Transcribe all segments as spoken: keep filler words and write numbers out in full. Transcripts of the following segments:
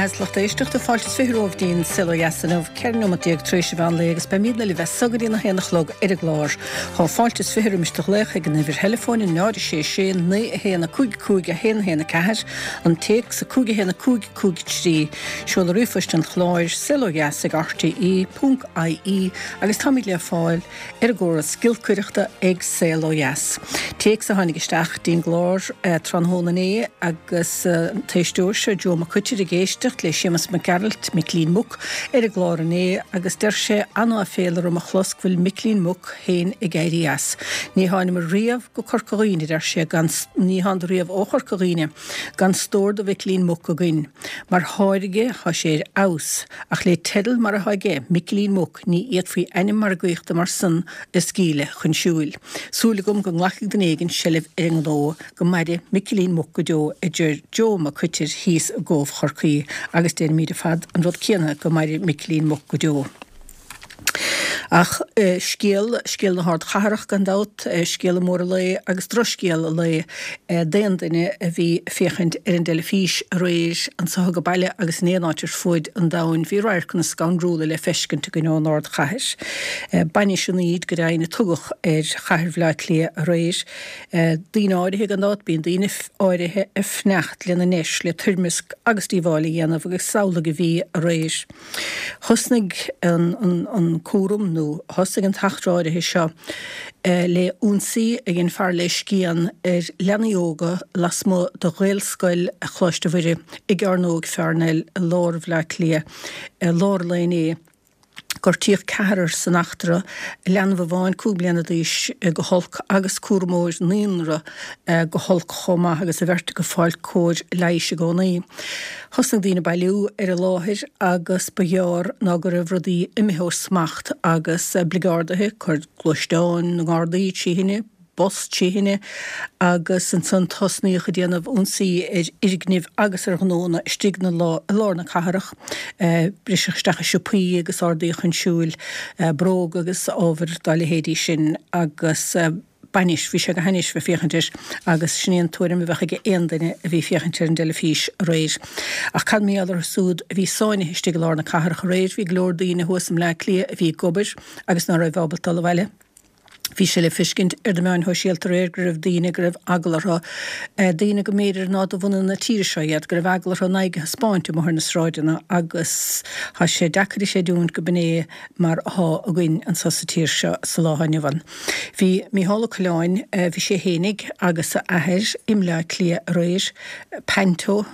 maith is lucht éisteachta fáilte is fiche romhaibh dtí'n Saol Ó Dheas inniu, ceithre nóiméad déag tar éis an mheán lae agus beimidne libh as so go dtí a haon a chlog ar an gclár. Tá fáilte is fiche roimis do ghlaoch ag an uimhir theileafóin náid a sé sé naoi a haon a cúig cúig a haon a haon a ceathair, an téacs a cúig a haon a cúig cúig trí, seoladh ríomhphoist an chláir, saol ó dheas ag rte ponc ie agus táimid le fáil ar an gcóras giolcaireachta ag Saol Ó Dheas. Téacs a tháinig isteach dtí'n gclár tráthnóna inné agus an t-éisteoir seo Joe Mac Coitir ag éisteacht le Séamus Mac Gearailt, Micilín Muc, ar an gclár inné agus deir sé an-áiféala orm a chlos go bhfuil Micilín Muc féin ag éirí as. Ní thánamar riamh go Corca Dhuibhne, a deir sé, gan ní thánadar riamh ó Chorca Dhuibhne gan stór de Mhicilín Muc againn. Mar tháirge tá sé ar fheabhas, ach le teideal mar atá aige, Micilín Muc, ní fhéadfaí ainm margaíochta mar san a scaoileadh chun siúil. Súil agam go nglacfaidh duine éigin seilbh ar an ngnó. Go maire Micilín Muc go deo, a deir Joe Mac Coitir thíos i gCóbh Chorcaí, agus deirimid ar fad an rud céanna, go maire Micilín Muc go deo. Ach scéal, scéal na hardchathrach gan dabht, scéala mór an lae agus drochscéal an lae d'aon duine a bhí ag féachaint ar an dteilifís aréir anso ag baile agus in aon áit ar fuaid an domhain, bhí radharcanna scanrúla le feiscint againn ón ardchathair. Bainis an Aoid go deimhin a tugadh ar chathair Bhaile Átha Cliath aréir. Daoine áirithe gan dabht, bíonn daoine áirithe ag fanacht lena ndeis le toirmeasc agus díobháil a dhéanamh agus is amhlaidh a bhí aréir. Thosnaigh an cúram nó thosaigh an t-eachtra áirithe seo le ionsaí a dhein fear le scian ar leanaí óga lasmuigh de Ghaelscoil Choláiste Mhuire i gCearnóg Pharnell i lár Bhaile Átha Cliath i lár an lae inné. Gortaíodh ceathrar san eachtra, leanbh amháin cúig bliana d'aois go holc agus cúramóir naíonra go holc chomh maith agus an bheirt acu ag fáil cóir leighis i gcónaí. Thosnaigh daoine ag bailiú ar an láthair agus ba ghearr ná go raibh rudaí imithe ó smacht agus oibligeardaithe, cur gluaisteáin na nGardaí trí thine, bus trí thine agus ansan tosnaíodh ag déanamh ionsaí ar fhoirgnimh agus ar ghnónna istigh i lár na cathrach. Briseadh isteach i siopaí agus ardaíodh chun siúil bróga agus ábhair dá leithéidí sin agus bainis, bhí sé go hainnis bheith féachaint air agus sin é an tuairim a bheadh ag aon duine a bhí féachaint ar an dteilifís aréir. Ach cad mar gheall orthu súd a bhí sáinnithe istigh i lár na cathrach aréir? Bhí go leor daoine thuas i mBleá Cliath a bhí ag obair agus ná raibh ábalta dul abhaile. Bhí sé le feiscint ar na meáin shóisialta aréir go raibh daoine go raibh eagla orthu, daoine go mb'fhéidir ná de bhunadh na tíre seo iad, go raibh eagla orthu a n-aghaidh a thaispeáint amuigh ar na sráideanna agus tá sé deacair a chreidiúint go b'in é mar athá againn anso sa tír seo sa lá atá inniu ann. Bhí Mícheál Ó Coileáin, bhí sé fhéinig agus a athair i mBleá Cliath aréir, Panto,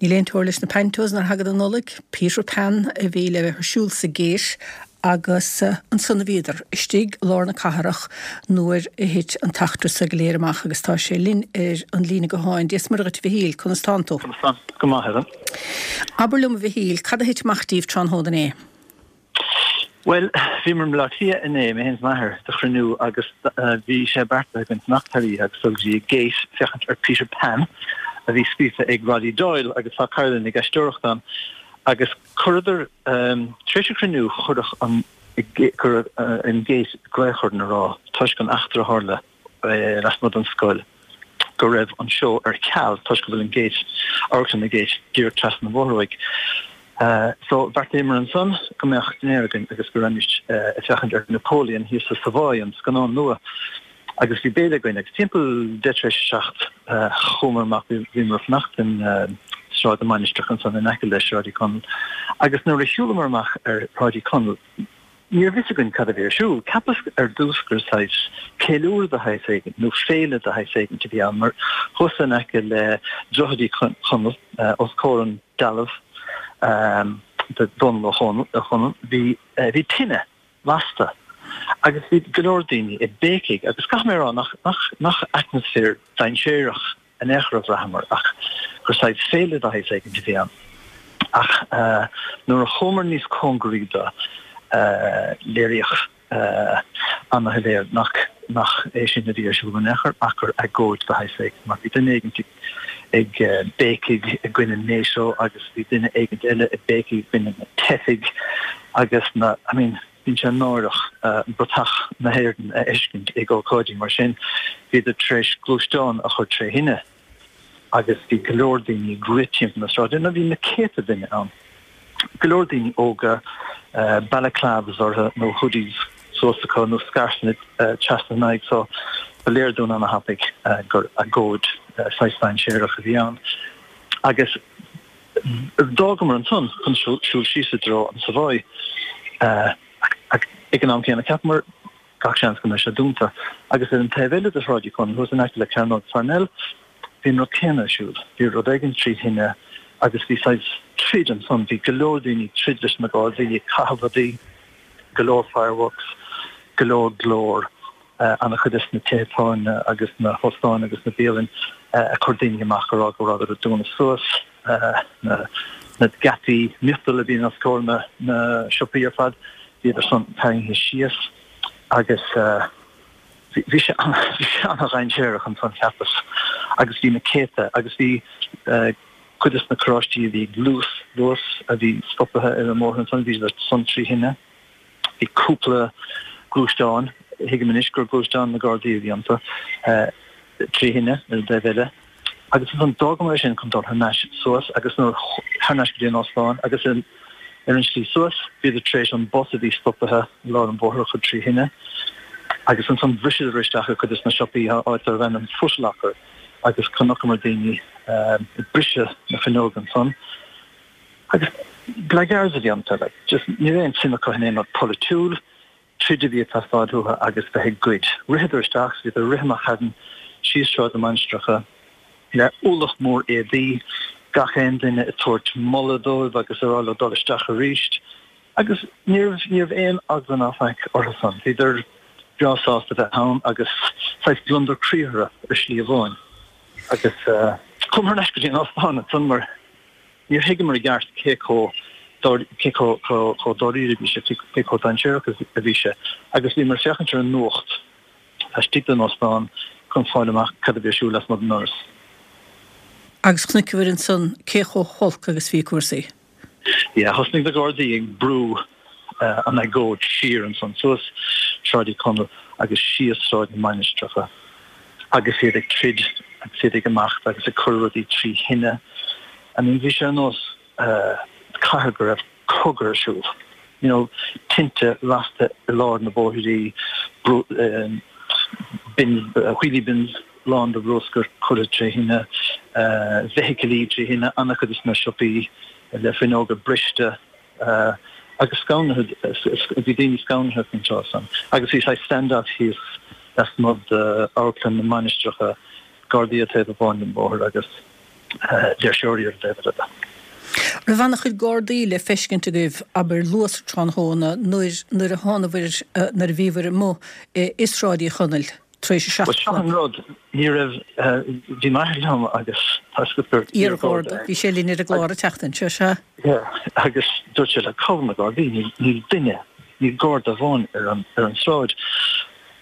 Níl aon teora leis na pantos nuair a thagann an Nollaig, Peter Pan a bhí le bheith ar siúl sa Gate agus ansan a bhíodar, istigh i lár na cathrach nuair a thit an t-eachtra so go léir amach agus tá sé linn ar an líne gutháin. Dia 's Muire dhuit a Mhichíl, conas tánn tú? Conas tánn? Go maith, Helen. Abair liom a Mhichíl, cad a thit amach díbh tráthnóna inné? Bhuel, bhíomar i mBleá Cliath inné, mé féin is m'athair, do chruinniú agus bhí sé beartaithe againn fanacht thar oíche agus dul go dtí an Gate féachaint ar Peter Pan a bhí scríofa ag Roddy Doyle agus tá cara linn ag aisteoireacht ann agus chuireadar, tar éis an chruinniú chuireadh an, chuir an Gate glaoch orainn a rá toisc an eachtra a tharla lasmuigh den scoil go raibh an seó ar ceal toisc go bhfuil an Gate, amharclann an Gate díreach trasna an bhóthair uaidh. So bheartaíomar ansan go mbeadh dinnéar againn agus go raghaimís ag féachaint ar Napoleon thíos sa Savoy, an scannán nua. Agus bhí béile againn agus timpeall deich tar éis a seacht chuamar amach, bhíomar ag fanacht in Sráid na Mainistreach ansan in aice le Sráid Uí Chonaill agus nuair a shiúlamar amach ar Shráid Uí Chonaill, Ní raibh fhios againn cad a bhí ar siúl. Cheapas ar dtús gur saghas ceiliúradh de shaghas éigin nó féile de shaghas éigin a bhí ann mar thuas in aice le Droichead Uí Chonaill, os comhair an dealbh de Dhónall Ó Conaill, bhí bhí tine lasta agus bhí go leor daoine ag béicigh agus caithfidh mé a rá nach nach nach atmaisféar dainséarach in aon chor a bhraitheamar ach gur saghas féile de shaghas éigin a bhí ann. Ach nuair a chuamar níos cóngaraí do, léiríodh ana-shoiléir nach nach é sin a bhí ar siúl in aon chor ach gur agóid de shaghas éigin mar bhí duine éigin ag béicigh i gcoinne NATO agus bhí duine éigin eile ag béicigh i gcoinne na teifigh agus na, I mean, Bíonn sé náireach bratach na hÉireann a fheiscint ag ócáidí mar sin. Bhíodar tar éis gluaisteán a chur tré thine Agus bhí go leor daoine ag rith timpeall na sráide, nó bhí na céadta duine ann. Go leor daoine óga, balaclavas orthu nó hoodies suas acu nó scairfeanna trasna a n-aghaidh so ba léir dúinn ana-thapaidh gur agóid saghas dainséarach a bhí ann. Agus d'fhágamar ansan chun siúl síos i dtreo an Savoy. Ach ag an am céanna cheapamar gach seans go mbeidh sé dúnta. Agus ar an taobh eile de Shráid Uí Chonaill, thuas in aice le Cearnóg Parnell, bhí an rud céanna ar siúl. Bhí rud éigin trí thine agus bhí saghas troid ansan. Bhí go leor daoine ag troid leis na Gardaí, ag caitheamh rudaí, go leor fireworks, go leor glór, an-chuid des na tithe tábhairne agus na hóstáin agus na bialainn ag cur daoine amach ag rá go rabhadar ag dúnadh suas na na geataí miotail a bhíonn os comhair na na siopaí ar fad, bhíodar san tarraingthe síos agus bhí sé bhí sé an-dhainséarach ansan cheapas agus bhí na céadta agus bhí cuid des na carráistí a bhí ag luas luas a bhí stopaithe ar an mbóthar ansan bhíodar san trí thine. Bhí cúpla gluaisteán, thuigim anois gur gluaisteáin na Gardaí a bhí iontu, trí thine ar an dtaobh eile. Agus ansan d'fhágamar é sin chun dul thar n-ais suas agus nuair thar n-ais go dtí an óstán agus ar an slí suas bhíodar tar éis an bus a bhí stopaithe i lár an bhóthair a chur trí thine. Agus ansan bhriseadar isteach i cuid des na siopaí áit darbh ainm Foot Locker agus chonaiceamar daoine ag briseadh na fuinneoga ansan. Agus blackguards a bhí iontu, like, just ní raibh aon suim acu in aon rud polaitiúil, troid a bhí ag teastáil uathu agus bheith ag goid. Ritheadar isteach, bhíodar ag rith amach chugainn síos Sráid na Mainistreacha le ualach mór éadaí, gach aon duine ag tabhairt moladh dóibh agus ag rá leo dul isteach arís. Agus ní raibh, ní raibh aon eagla ná faic orthu san. Bhíodar breá sásta bheith ann agus saghas gliondar croí orthu ar shlí amháin. Agus chuamar thar n-ais go dtí an óstán ansan mar níor thuigeamar i gceart cé chomh cé chomh chomh dáiríre a bhí sé, cé chomh dainséarach a bhí sé. Agus bhíomar ag féachaint ar an nuacht laistigh den óstán chun fáil amach cad a bhí ar siúl lasmuigh den ndoras. Agus chonaiceabhair ansan cé chomh holc agus bhí cúrsaí. Yeah, thosnaigh na Gardaí ag brú an agóid siar ansan suas Sráid Uí Chonaill agus síos Sráid na Mainistreacha agus iad ag troid agus iad ag imeacht agus ag cur rudaí trí thine. I mean bhí sé ar nós cathair go raibh cogadh ar siúl. You know, tinte lasta i lár na bóithrí, bins, wheelie bins lán de bhruscar curtha tré thine, feithicilí trí thine, an-chuid de na siopaí le fuinneoga briste agus scanraithe, bhí daoine scanraithe faoin tráth san. Agus bhí saghas stand-off thíos lasmuigh d'Amharclann na Mainistreacha, Gardaí ar taobh amháin den bhóthar agus léirseoirí ar an dtaobh eile de. Raibh an-chuid Gardaí le feiscint agaibh, abair, luath sa tráthnóna nuair nuair a thánabhair, nuair a bhíobhair amuigh i Sráid Uí Chonaill tar éis a seacht a chlog? Bhuel, seo an rud, ní raibh, bhí m'athair liom agus tá 'fhios agat gur iar-Gharda, bhí sé linn ar an gclár an tseachtain seo, sea. Yeah, agus dúirt sé like cá bhfuil na Gardaí, níl, níl duine, níl Garda amháin ar an, ar an tsráid.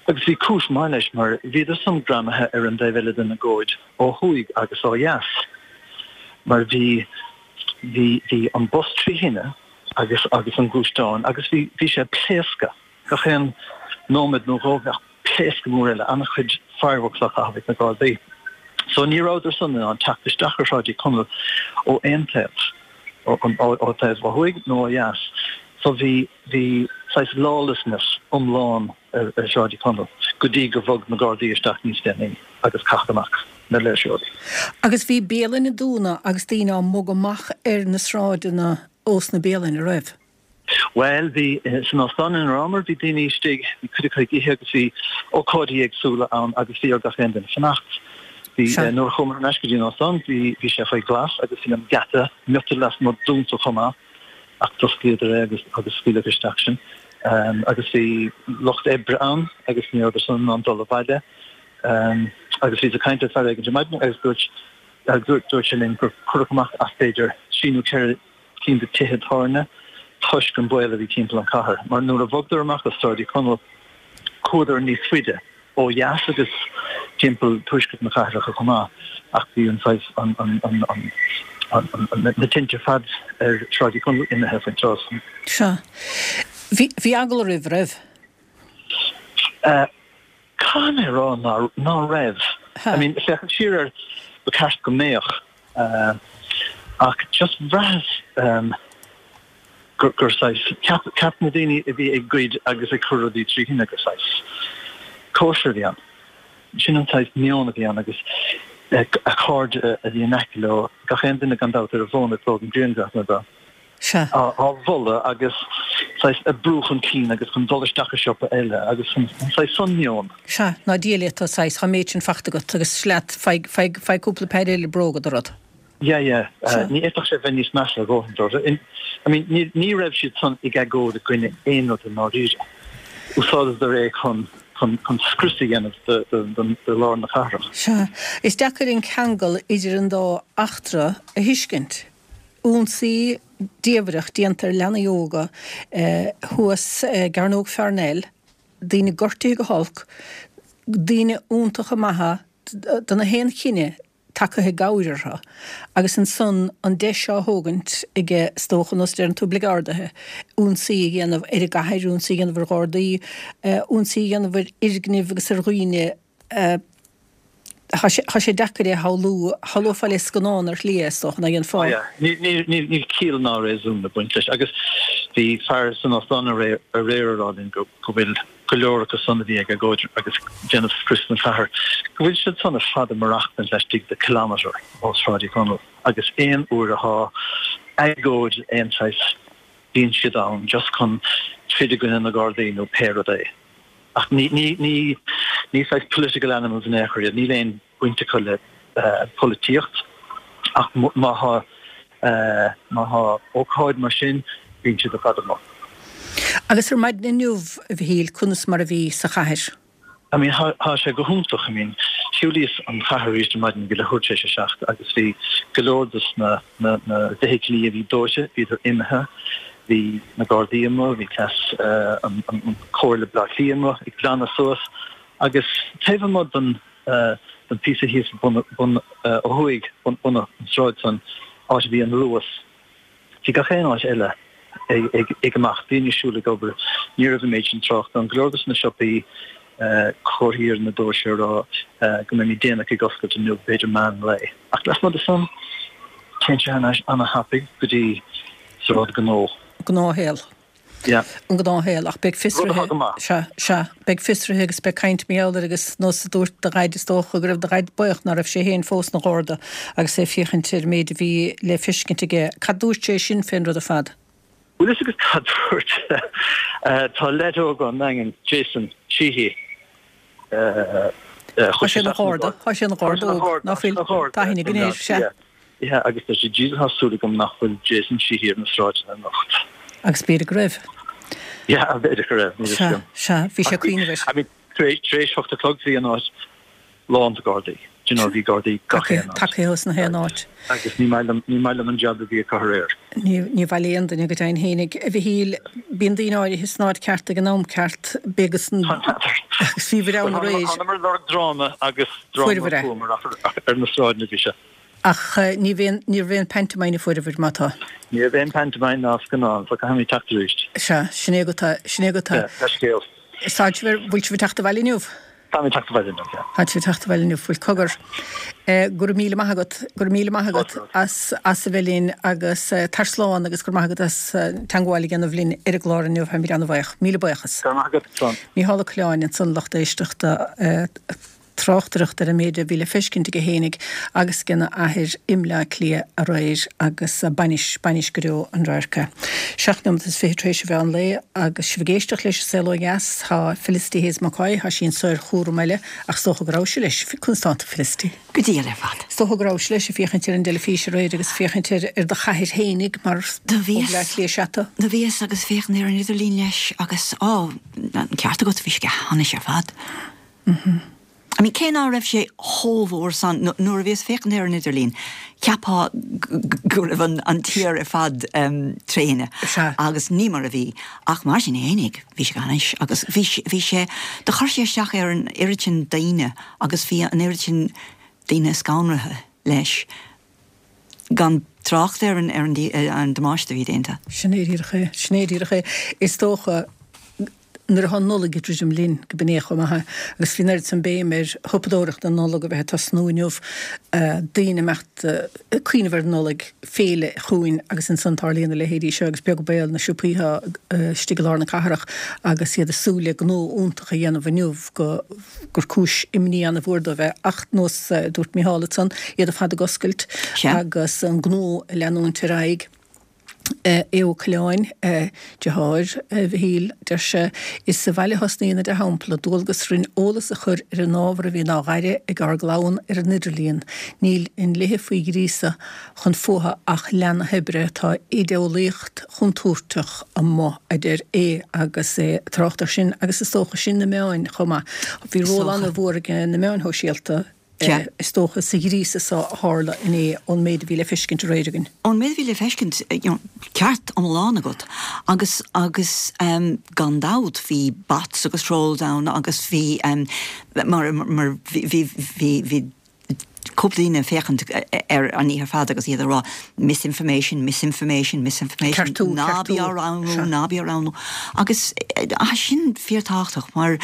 Agus bhí cúis mhaith leis mar bhíodar san greamaithe ar an dtaobh eile den agóid ó thuaidh agus ó dheas mar bhí, bhí, bhí an bus trí thine agus, agus an gluaisteán agus bhí, bhí sé ag pléascadh gach aon nóiméad nó dhó bheadh pléascadh mór eile, an-chuid fireworks á chaitheamh ag na Gardaí. So ní rabhadar san in ann teacht isteach ar Shráid Uí Chonaill ó aon taobh, ó, ó taobh ó thuaidh nó ó dheas. So bhí, bhí saghas lawlessness iomlán ar Shráid Uí Chonaill go dtí gur bhog na Gardaí isteach níos déanaí agus caitheadh amach na léirseoirí. Agus bhí bialanna ag dúnadh agus daoine á mbogadh amach ar na sráideanna ós na bialainn, a raibh? Bhuel, bhí, san óstán ina rabhamar, bhí daoine istigh, bhí cuid acu ag ithe agus bhí ócáidí éagsúla ann agus bhí ar gach aon duine fanacht. Bhí, nuair a chuamar thar n-ais go dtí an óstán, bhí, bhí sé faoi ghlas agus bhí an geata miotail lasmuigh dúnta chomh maith ach d'osclaíodar é agus, agus scaoileadh isteach sinn. Agus bhí lucht oibre ann agus ní rabhadar san in ann dul abhaile. Agus bhíos ag caint le fear éigin ar maidin agus dúirt, dúirt sé linn gur cuireadh amach as b'fhéidir trí nó ceithre cinn de tithe tábhairne toisc an baol a bhí timpeall an chathair. Mar nuair a bhogadar amach as Sráid Uí Chonaill chuadar níos faide ó dheas agus timpeall tuaisceart na cathrach chomh maith ach bhí an saghas, an, an, an, an, an, na tinte ar fad ar Shráid Uí Chonaill imithe faoin tráth san. Sea. Bhí, bhí eagla oraibh, raibh? Caithfidh mé a rá ná, ná raibh. I mean, féachaint siar air, Ba cheart go mbeadh ach just bhraitheas gur gur saghas ceap ceap na daoine a bhí ag goid agus ag cur rudaí trí thine gur saghas cóisir a bhí ann. Sin an saghas meon a bhí ann agus a cairde a bhí in aice leo, gach aon duine gan dabht ar a bhfón ag tógaint grianghraif Sea. á mholadh agus saghas ag brú chun cinn agus chun dul isteach i siopa eile agus an saghas san meon. Sea, ná díol iad, tá saghas, tá an méid sin fachta agat agus sleat, faigh, faigh, faigh cúpla péire eile bróga do rud. Yeah, yeah. Ní fhéadfadh sé bheith níos measa a dhóthain dóibh. I mean, ní, ní raibh siad san ag agóid i gcoinne aon rud i ndáiríre. Úsáideadar é chun, chun, chun scrios a dhéanamh de, de, de, de lár na cathrach. Sea. Is deacair an ceangal idir an dá eachtra a thuiscint. Ionsaí diamhrach déanta ar leanaí óga thuas i gCearnóg Pharnell, daoine gortaithe go holc, daoine iontacha maithe de na haon chine tagtha i gcabhair orthu, agus ansan an deis seo á thógaint aige, is dócha, nós a deireann tú, bligeardaithe, ionsaí a dhéanamh ar an gcathair, ionsaí a dhéanamh ar Ghardaí, ionsaí a dhéanamh ar fhoirgnimh agus ar dhaoine. Tá sé, tá sé deacair é a shamhlú, shamhlófá le scannán ar shlí é, is dócha, ná dhéanfá? Oh yeah, níl, níl, níl ciall ná réasún ag baint leis. Agus bhí fear san óstán aréir ag rá linn go, go bhfuil go leor acu san a bhí ag agóid agus déanamh scrios den chathair, go bhfuil siad san ar fad ag maireachtaint laistigh de kilometre ó Sráid Uí Chonaill agus aon uair athá agóid aon saghas bíonn siad ann just chun troid i gcoinne na Gardaí nó pé rud é. Ach ní, ní, ní, ní saghas political animals in aon chor iad, níl aon baint acu le polaitíocht ach má thá, má thá ócáid mar sin, bíonn siad ar fad amuigh. Agus ar maidin inniu, a Mhichíl, conas mar a bhí sa chathair? I mean, thá, thá sé go hiontach, I mean, shiúlaíos an chathair arís ar maidin ag leathuair tar éis a seacht agus bhí go leor dos na, na, na feithiclí a bhí dóite, bhíodar imithe. Bhí na Gardaí amuigh, bhí cleas an Chomhairle Bleá Cliath amuigh ag glanadh suas agus taobh amuigh den den píosa thíos bun bun ó thuaidh, bun bun an sráid san, áit a bhí an Luas, bhí gach aon áit eile ag ag ag imeacht, daoine ag siúl ag obair, ní raibh an méid sin tráchta ann, go leor dos na siopaí, comharthaí ar na doirse ag rá go mbeimid déanach ag oscailt inniu, b'fhéidir meán lae. Ach lasmuigh de san, téann sé thar n-ais ana-thapaidh go dtí sráid gnó. Gnáthshaol. Yeah. An gnáthshaol. Ach beidh Rud atá fiosruithe, go maith. sea, sea, beidh fiosruithe agus beidh caint mar gheall air agus nós a dúirt do dhaid, is dócha go raibh do dhaid buíoch ná raibh sé féin fós ina gharda agus é ag féachaint ar an méid a bhí le feiscint aige. Cad dúirt sé sin fén rud ar fad? Bhfuil fhios agat cad dúirt sé? Tá leaid óg ón nDaingean, Jason Sheehy, Tá chuaigh sé sé ina isteach sna gharda, tá sé ina Tá sé gharda ina óg, gharda, ná tá sé fuil? ina gharda Tá aithne i againn mBleá air, sea. Cliath. Yeah, agus deir sé, Jesus tá súil agam nach bhfuil Jason Sheehy ar na sráideanna anocht. Agus b'fhéidir go raibh. Yeah, b'fhéidir go raibh, níl fhios Sea, agam. sea, bhí sé Ach ag cuimhneamh air. I mean, tar éis, tar éis hocht a chlog bhí an áit lán de Ghardaí. Do you know, bhí Gardaí gach aon áit. Tagtha as na haon áit. Agus ní maith liom, ní maith liom an jab a bhí acu aréir. Ní, ní mhaith le aon duine go deimhin fhéinig. A Mhichíl, bíonn daoine áirithe san áit ceart ag an am ceart, b'é agus an, agus bhíobhair ann aréir. Thánamar ag lorg dráma agus dráma Fuaireabhair é. fuaireamar ach ar na sráideanna bhí sé. Ach ní bhíonn, ní raibh aon pantomime a fuaireabhair, má tá. Ní raibh aon pantomime ná scannán, so caithfimid teacht arís. Sea, sin é go tá, sin é go tá. Yeah, leithscéal. Tá sibh, bhfuil sibh ag teacht abhaile inniu? Táim ag teacht abhaile inniu, yeah. Tá sibh ag teacht abhaile inniu, bhuel cogar. Go raibh míle maith agat, go raibh míle maith agat as, as a bheith linn agus tar slán agus go raibh maith agat as teangmháil a dhéanamh linn ar an gclár inniu, táimid an-bhuíoch. Míle buíochas. Go raibh maith agat, slán. Mícheál Ó Coileáin ansan lucht éisteachta. tráchtaireacht ar an méid a bhí le feiscint aige fhéinig agus agena athair i mBleá Cliath aréir agus bainis, bainis go deo an radharc é. Seacht nóimeat is fiche tar éis an mheán lae agus sibh ag éisteacht leis an Saol Ó Dheas, tá Felicity Hayes McCoy, tá sí anso ar chúram eile ach is dócha go rabhais leis, conas tánn tú Felicity? Go diail ar fad. Is dócha go rabhais leis ag féachaint ar an dteilifís aréir agus féachaint ar ar do chathair fhéinig mar Do ó bhíos. Bhleá Cliath is ea tú. Do bhíos agus féachaint ar an idirlíon leis agus, á, an ceart agat, bhí sé go hainnis ar fad. I mean, cé ná raibh sé chomh mhór san, nuair a bhíos féachaint ar an idirlíon, cheapfá go raibh an tír ar fad tré thine, agus ní mar a bhí. Ach mar sin fhéinig, bhí sé go hainnis, agus bhí, bhí sé, do chuir sé isteach ar an oiread sin daoine, agus bhí an oiread sin daoine scanraithe leis, gan trácht ar an, ar an damáiste a bhí déanta. Sin é díreach é, sin é díreach é. Is dócha. nuair atá an Nollaig ag druidim linn, go b'in é chomh maith, agus bhí an oiread san béim ar shiopadóireacht na Nollag a bheith ag tosnú inniu, daoine ag imeacht ag cuimhneamh ar an Nollaig, féile chugainn agus ansan tarlaíonn a leithéidí seo agus beag baol na siopaí atá istigh i lár na cathrach agus iad ag súil le gnó iontach a dhéanamh inniu go gur cúis imní ana-mhór dóibh é ach nós a dúirt Micheál ansan, iad ar fad ag oscailt agus an gnó ag leanúint ar aghaidh. Aodh Ó Coileáin, deartháir Mhichíl, deir sé, Is sa bhaile a thosnaíonn an dea-shampla, dualgas orainn eolas a chur ar an ábhar a bhíonn á ghaire ag ár gclann ar an idirlíon. Níl i ndlíthe faoi ghríosadh chun fuatha ach leath na hoibre. Tá idéeolaíocht chontúirteach amuigh, a deir Aodh agus é ag trácht air sin, agus is dócha sin na meáin chomh maith. Bhí Is ról dócha. an-mhór ag na meáin shóisialta. Sea. Is dócha, sa ghríosadh so a tharla inné, ón méid a bhí le feiscint aréir againn. Ón méid a bhí le feiscint, you know, ceart iomlán agat. Agus, agus ehm, gan dabht bhí bots agus trolls ann agus bhí ehm, mar, mar bhí, bhí, bhí, bhí cúpla daoine ag féachaint ar an oíche ar fad agus iad ag rá misinformation, misinformation, misinformation, Ceartú, ná bí ceartú. á roghnú, Sea. ná bí á roghnú. Agus eh, sin fíorthábhachtach mar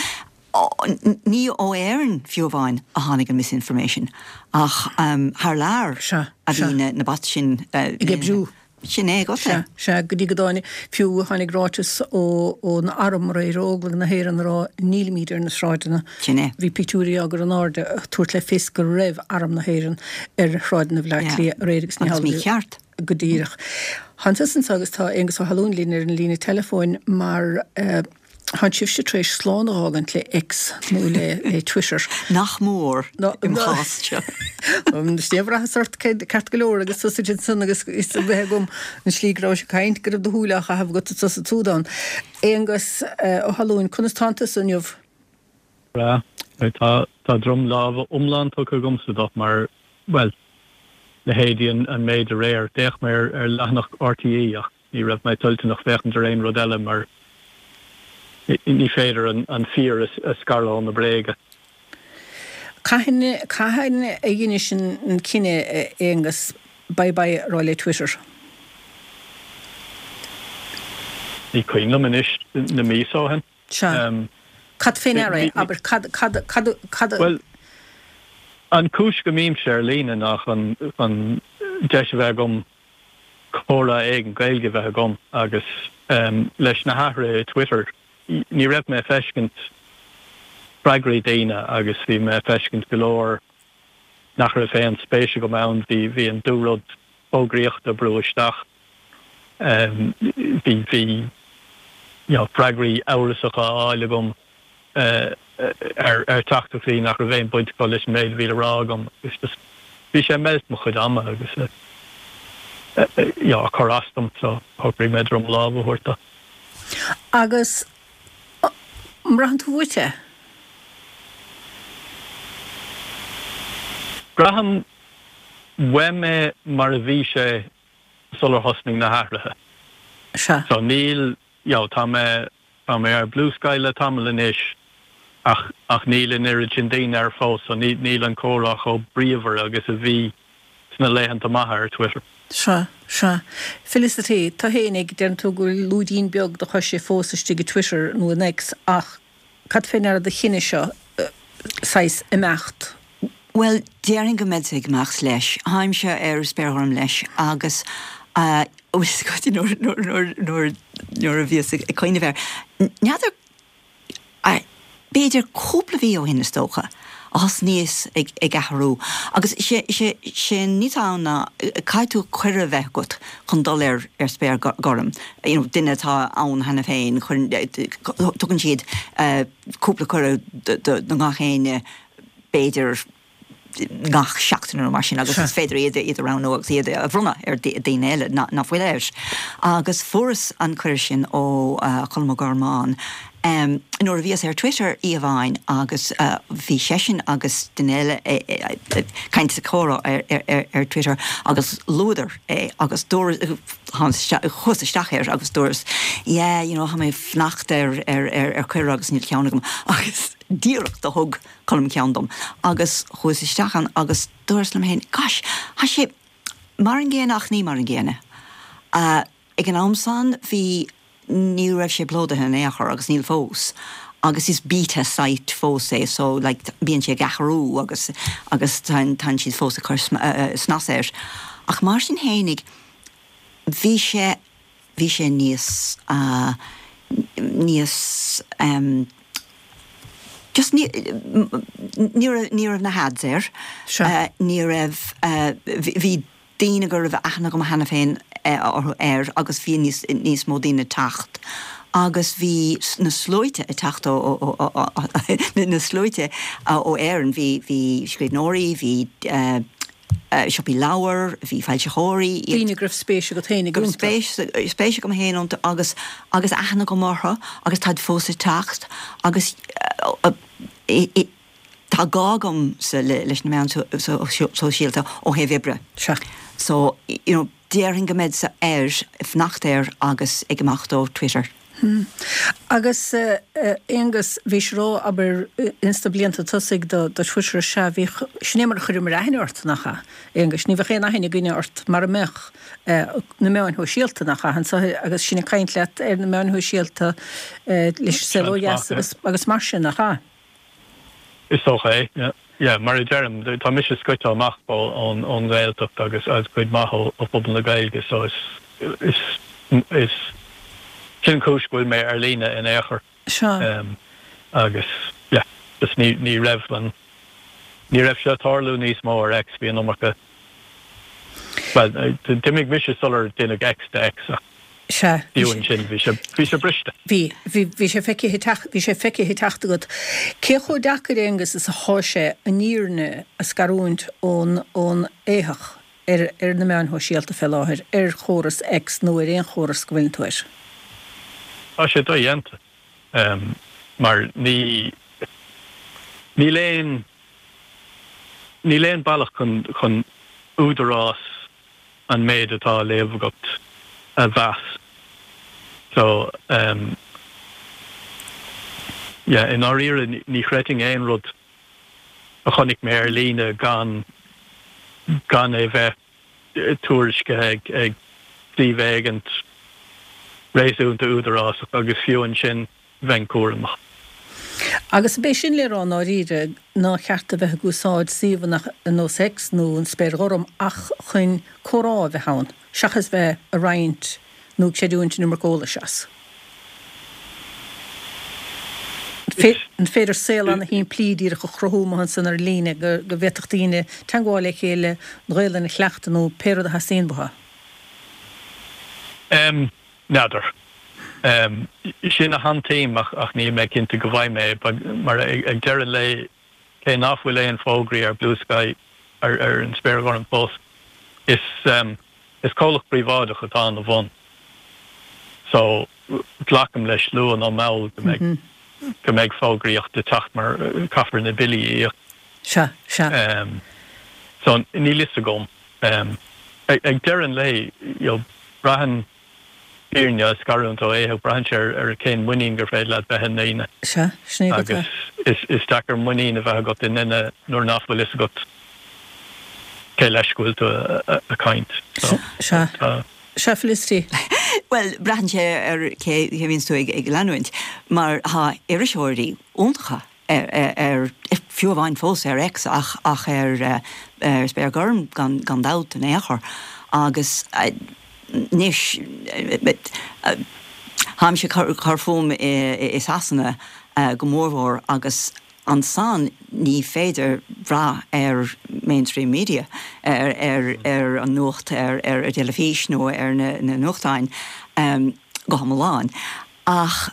Ní ó Éirinn fiú amháin a tháinig an misinformation ach thar lear a bhí na bots sin. Ag oibriú. Sin é agat é. Sea, sea, go dtí go dtáinig, fiú tháinig ráiteas ón arm aréir, Óglaigh na hÉireann a rá nílimid ar na sráideanna. Sin é. Bhí pictiúirí á gcur in airde ag tabhairt le fios go raibh arm na hÉireann ar shráideanna Bhaile Átha Cliath aréir agus ní Agus hamhlaidh. mícheart. Go díreach. Tánn tusa anso agus tá Aengus Ó hAlmhain linn ar an líne teileafóin mar Tánn sibhse tar éis slán a dh'fhágaint le X nó le Twitter. Nach mór im chás seo. Is é a bhraitheas ort ceart go leor agus tusa ansan agus is a bheith agam an slí go rabhais ag caint go raibh do shúile á chaitheamh agat anso sa tSúdáin. Aonghus Ó hAlmhain, conas tánn tusa inniu? Breá. Tá tá droim láimhe iomlán tugtha agamsa dó mar, bhuel, leithéidí an méid aréir. D'fhéach mé ar leathanach RTÉ ach Ní raibh mé toilteanach féachaint ar aon rud eile mar ní féidir an fíor a scaradh ó na bréaga. Cathain, cathain a dheinis an cinneadh, a Aonghus, bye bye a rá le Twitter? Ní cuimhin liom anois, na míosa ó shin. Sea. Cad fé ndeara é? Abair, cad, cad, cad, cad a. Bhuel, an chúis go mbímse ar líne ná chun, chun deis a bheith agam comhrá éigin Gaeilge a bheith agam agus leis na hathruithe i Twitter ní raibh mé ag feiscint freagraí daoine agus bhí mé ag feiscint go leor nach raibh aon spéis agam ann, bhí bhí an dúrud fógraíochta ag brú isteach, bhí bhí you know freagraí amhrasacha á fháil agam. ar teachtaireachtaí nach raibh aon bhaint acu leis an méid a bhí le rá agam agus just bhí sé ag meilt mo chuid ama agus you know ag cur as dom so shocraigh mé droim láimhe a thabhairt dó. Agus an mbraitheann tú uait é? Braithim uaim é mar a bhí sé sular thosnaigh na hathruithe. Sea. So níl, you know, tá mé Tá mé ar Bluesky le tamall anois ach ach níl an oiread sin daoine air fós so níl an comhrá chomh bríomhar agus a bhí sna laethanta maithe ar Twitter. Sea, sea. Felicity, tú fhéinig, deireann tú go bhfuil lúidín beag do choise fós istigh i Twitter nó in X ach cad fé ndeara do chinneadh seo saghas imeacht? Bhuel, déarfainn go mbeadsa ag imeacht leis. Táimse ar Spéir Ghorm leis agus nuair nuair a bhíos ag cuimhneamh air, n'fheadar, b'fhéidir cúpla mhí ó shin is dócha, a thosnaíos ag athrú agus sé sé an ní atá ann ná caithfidh tú cuireadh a bheith agat chun dul ar ar Spéir Ghorm, you know duine atá ann cheana féin, tugann siad cúpla cuireadh do gach éinne b'fhéidir gach seachtain nó mar sin agus is féidir iad iad a roghnú agus iad a bhronnadh ar daoine eile nach bhfuil air. Agus fuaireas an cuireadh sin ó Cholm Ó Gormáin nuair a bhíos ar Twitter oíche amháin agus bhí seisean agus duine eile ag caint sa chomhrá ar Twitter agus luadar é agus dúras chuas isteach air agus dúras yeah you know tá mé ag fanacht ar ar ar cuireadh agus níl ceann agam agus díreach do thug Colm ceann dom agus chuas isteach ann agus dúras liom féin, gosh, tá sé mar an gcéanna ach ní mar an gcéanna. Ag an am san bhí ní raibh sé plódaithe in aon chor agus níl fós. Agus is beta site fós é so like bíonn sé ag athrú agus agus tá siad fós ag cur snas air. Ach mar sin fhéinig bhí sé bhí sé níos uh, níos um, just ní ní raibh na hads air uh, ní raibh uh, bhí daoine go raibh aithne agam cheana féin orthu air agus bhí níos níos mó daoine ag teacht. Agus bhí na sluaite ag teacht na sluaite ó Éirinn bhí bhí scríbhneoirí, bhí uh, siopaí leabhar, bhí foilsitheoirí. Daoine go raibh spéis agat féin iontu. Spéis spéis agam féin iontu agus agus aithne agam orthu agus táid fós ag teacht agus tá gá agamsa leis na meáin sóisialta ó thaobh oibre. Sea. So you know, déarfainn go mbeidh air fanacht air agus ag imeacht ó Twitter. Hmm. Agus Aonghus bhí ró aber ins na blianta tosaigh do do Twitter sea bhí sin é mar a chuireamar aithne ort nach ea? Aonghus ní bheadh aon aithne againne ort mara mbeadh na meáin shóisialta nach ea? Anso agus sinn ag caint leat ar na meáin shóisialta leis an saol ó dheas agus agus mar sin nach ea? Is dócha é, yeah. Yeah, mar a deirim, tá mise scoite amach ón ón nGaeltacht agus as cuid maith ó phobal na Gaeilge so is is is sin cúis go bhfuil mé ar líne in aon chor. Sea. Um, agus yeah, just ní ní raibh an ní raibh sé ag tarlú níos mó ar X bhí an iomarca Well, d'imigh mise sular deineadh X de X ach Sea. Fiú ansin bhí sé bhí sé briste. Bhí, bhí, bhí sé feicthe teacht, bhí sé feicthe teacht agat. Cé chomh deacair, Aonghus, is athá sé an fhírinne a scarúint ón, ón éitheach ar, ar na meáin shóisialta fé láthair, ar chóras X nó ar aon chóras go bhfuileann tú air? Tá sé dodhéanta. Mar ní, níl aon, níl aon bealach chun, chun údarás an méid atá á léamh agat a mheas. So, um, yeah, i ndáiríre ní chreidfinn aon rud a chonaic mé ar líne gan gan é bheith tuairiscithe ag ag suíomh éigint réasúnta údarásach agus fiú ansin bheinn cúramach. Agus ab é sin le rá i ndáiríre nár cheart a bheith ag úsáid suíomhanna ar nós X nó an Spéir Ghorm ach chun comhrá a bheith ann, seachas bheith ag roinnt nó ag creidiúint an iomarca eolais as. An féidir saol ana-shimplí díreach a chruthú amuigh ansan ar líne go bhféadfadh daoine teagmháil le chéile, an Ghaelainn a chleachtadh nó pé rud a theastaíonn uathu? N'fheadar. Sin a shantaím ach níl mé cinnte go bhfaighidh mé é mar ag deireadh an lae cé nach bhfuil aon fógraí ar Bluesky ar ar an Spéir Ghorm fós is is comhlacht príobháideach atá ina bhun so glacaim leis luath nó mall go mbeidh go mbeidh fógraíocht ag teacht mar caithfear na billí a íoc. Sea, sea. So níl fhios agam. Ag deireadh an lae you know braitheann fírinne a scarúint ó éitheach, braitheann sé ar cén muinín gur féidir leat bheith i ndaoine. Sea, sin é go Agus is is deacair muinín a bheith agat i nduine nuair nach bhfuil fhios agat cé leis go bhfuil tú ag caint. So, Sea. tá. Sea, Felicity. Bhuel, braitheann sé ar cé a bhíonns tú ag ag leanúint, mar tá iriseoirí iontacha ar ar fiú amháin fós ar X ach ach ar ar Spéir Ghorm gan gan dabht in aon chor. Agus Anois, táimse ag cur fúm i Sasana go mórmhór agus ansan ní féidir brath ar mainstream media, ar an nuacht ar ar an dteilifís nó ar na nuachtáin go hiomlán. Ach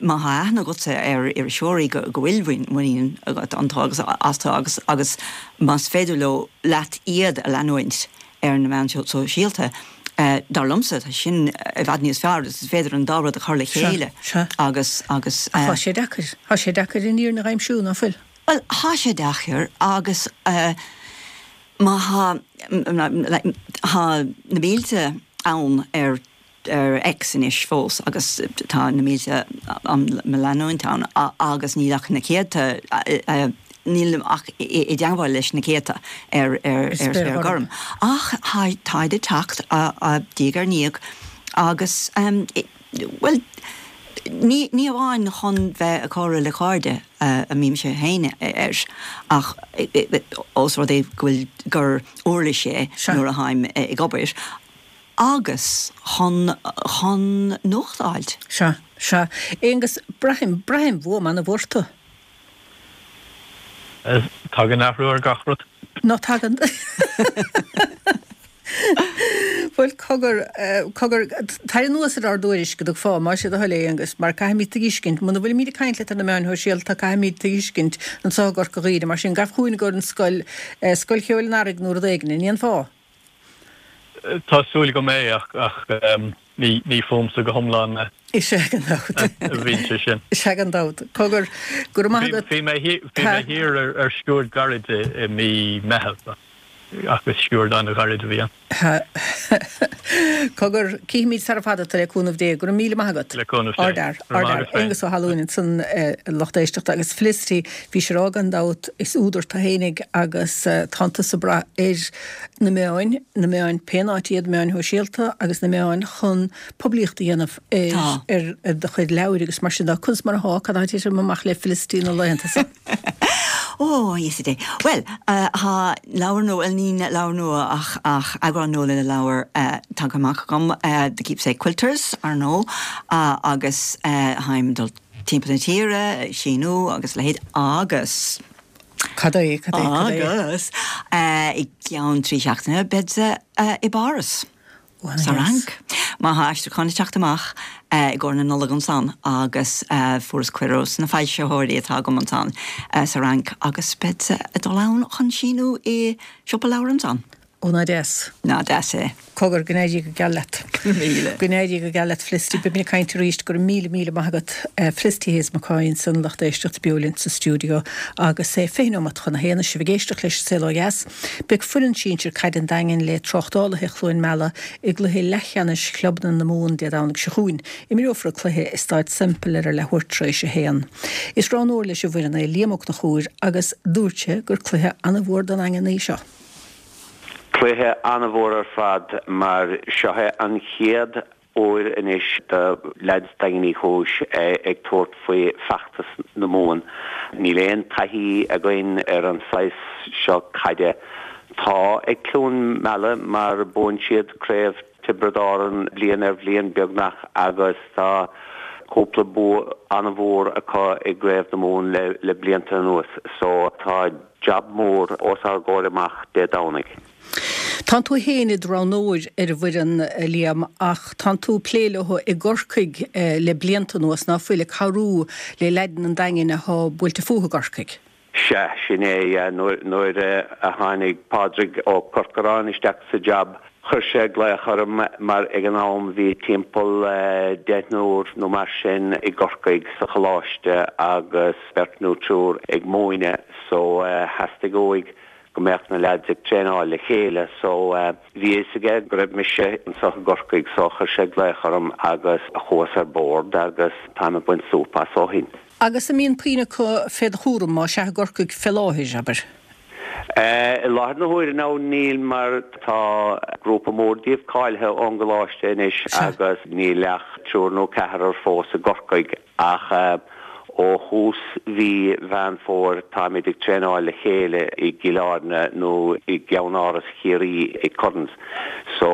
má thá aithne agatsa ar iriseoirí go bhfuil muinín agat iontu agus astu agus agus más féidir leo leat iad a leanúint ar na meáin shóisialta, dar liomsa, tá sin i bhfad níos fearr, is féidir an dá rud a chur le chéile agus agus. Ach tá sé deacair, tá sé deacair an fhírinne a aimsiú, ná fuil? Bhuel, tá sé deacair agus má thá, thá na mílte ann ar ar X anois fós agus tá na mílte á mo leanúint ann agus níl ach na céadta, nílim ach i dteangmháil leis na céadta ar ar Spéir Ghorm. Ach táid ag teacht diaidh ar ndiaidh agus bhuel, ní ní amháin chun bheith ag comhrá le cairde a mbímse féin air, ach ós rud é go bhfuil gur uirlis é nuair a tháim ag obair, agus chun chun nuacht a fháilt. Sea, sea. Aonghus, braithim, braithim fuaim an-mhór orthu. Tagann athrú ar gach rud. Ná tagann. Bhuel, cogar, cogar, tar anuas ar ár dtuairisc go dtug fáth, más é do thoil é, Aonghus, mar caithfimid tuiscint, muna bhfuilimid ag caint leat ar na meáin shóisialta, caithfimid tuiscint anseo i gCorca Dhuibhne, mar sin, gabh chugainn go an scoil, Scoil Cheoil an Earraigh nó rud éigin, an ndéanfá? Tá súil agam é, ach, ach ní, ní fúmsa go hiomlán é. Is ea gan dabht. A bhíonn sé sin. Is ea gan dabht. Cogar, go raibh maith agat. Bhí mé thiar ar sciuird gairid i mí Meitheamh ach is sciuird an-ghairid a bhí ann. Cogar, cífimid sara fada tú le cúnamh Dé. Go raibh míle maith agat. Le cúnamh Dé. Ardfhear, ardfhear. Aonghus Ó hAlmhain ansan a lucht éisteachta agus Felicity, bhí sé a rá gan dabht, is údar tú fhéinig agus tánn tusa ag brath ar na meáin, na meáin pén áit iad, meáin shóisialta agus na meáin chun poiblíocht a dhéanamh ar ar do chuid leabhair agus mar sin de. Conas mar athá, cad atá ag titim amach le Felicity na laethanta seo? Ó, a Íosa Dé. Bhuel, tá leabhar nua, bhuel ní leabhar nua ach ach eagrán nua le leabhar tagtha amach agam, The Keepsake Quilters, ar ndóigh, agus táim ag dul timpeall na tíre, ag síniú agus a leithéid agus. Cad é, cad é, cad é? Agus i gceann trí seachtaine beadsa i bPáras. Sa Fhrainc. Mar tá aistriúchán ag teacht amach i gcomhair na Nollag ansan agus fuaireas cuireadh ós na foilsitheoirí atá agam ansan sa Fhrainc agus beadsa ag dul ann chun síniú i siopa leabhar ansan. Ó ná deas. Ná deas é. Cogar, go n-éirí go geal leat. Go raibh míle. Go n-éirí go geal leat Felicity. Beimid ag caint arís. Go raibh míle míle maith agat. Felicity Hayes McCoy ansan, lucht éisteachta beo linn sa stiúideo agus é fiche nóiméad chun a haon. Sibh ag éisteacht leis an Saol Ó Dheas. Beidh foireann sinsir caide an Daingin le Tráchtálaithe Chluain Meala i gcluiche leathcheannais chlubanna na Mumhan Dé Domhnaigh seo chugainn. Imreofar an cluiche i Staid Semple ar a leathuair tar éis a haon. Is roghnóir leis an bhfoireann é Liam Ó Conchúir agus dúirt sé gur cluiche an-mhór don Daingean é seo. Cluiche an-mhór ar fad mar seo é an chéad uair anois do leaids Daingean Uí Chúis ag tabhairt faoi feachtas na Mumhan. Níl aon taithí againn ar an saghas seo caide. Tá ag Cluain Meala mar buann siad craobh Tiobraid Árann bliain ar bhliain beagnach agus tá cúpla bua an-mhór acu i gcraobh na Mumhan le blianta anuas so tá jab mór os ár gcomhair amach Dé Domhnaigh. Tánn tú féin i do roghnóir ar an bhfoireann, a Liam, ach tánn tú ag plé leo i gCorcaigh le blianta anuas, ná fuil, ag cabhrú le leaideanna an Daingin athá buailte fúthu i gCorcaigh? Sea, sin é. Nuair a tháinig Pádraig Ó Corcoráin isteach sa jab, chuir sé glaoch orm mar ag an am bhí timpeall deichniúr nó mar sin i gCorcaigh sa choláiste agus beirt nó triúr ag múineadh so theastaigh uaidh go mbeadh na leaids ag traenáil le chéile so bhí a fhios aige go raibh mise anseo i gCorcaigh so chuir sé glaoch orm agus chuas ar bord agus táim ag baint súp as ó shin. Agus an mbíonn puinn acu fé do chúram, más ea, i gCorcaigh fé láthair, abair? I láthair na huaire now níl mar tá grúpa mór díobh cáilithe ón gcoláiste anois agus níl ach triúr nó ceathrar fós i gCorcaigh ach ó thús mhí Mheán Fómhair táimid ag traenáil le chéile i gCill Airne nó i gceannáras Chiarraí i Currans so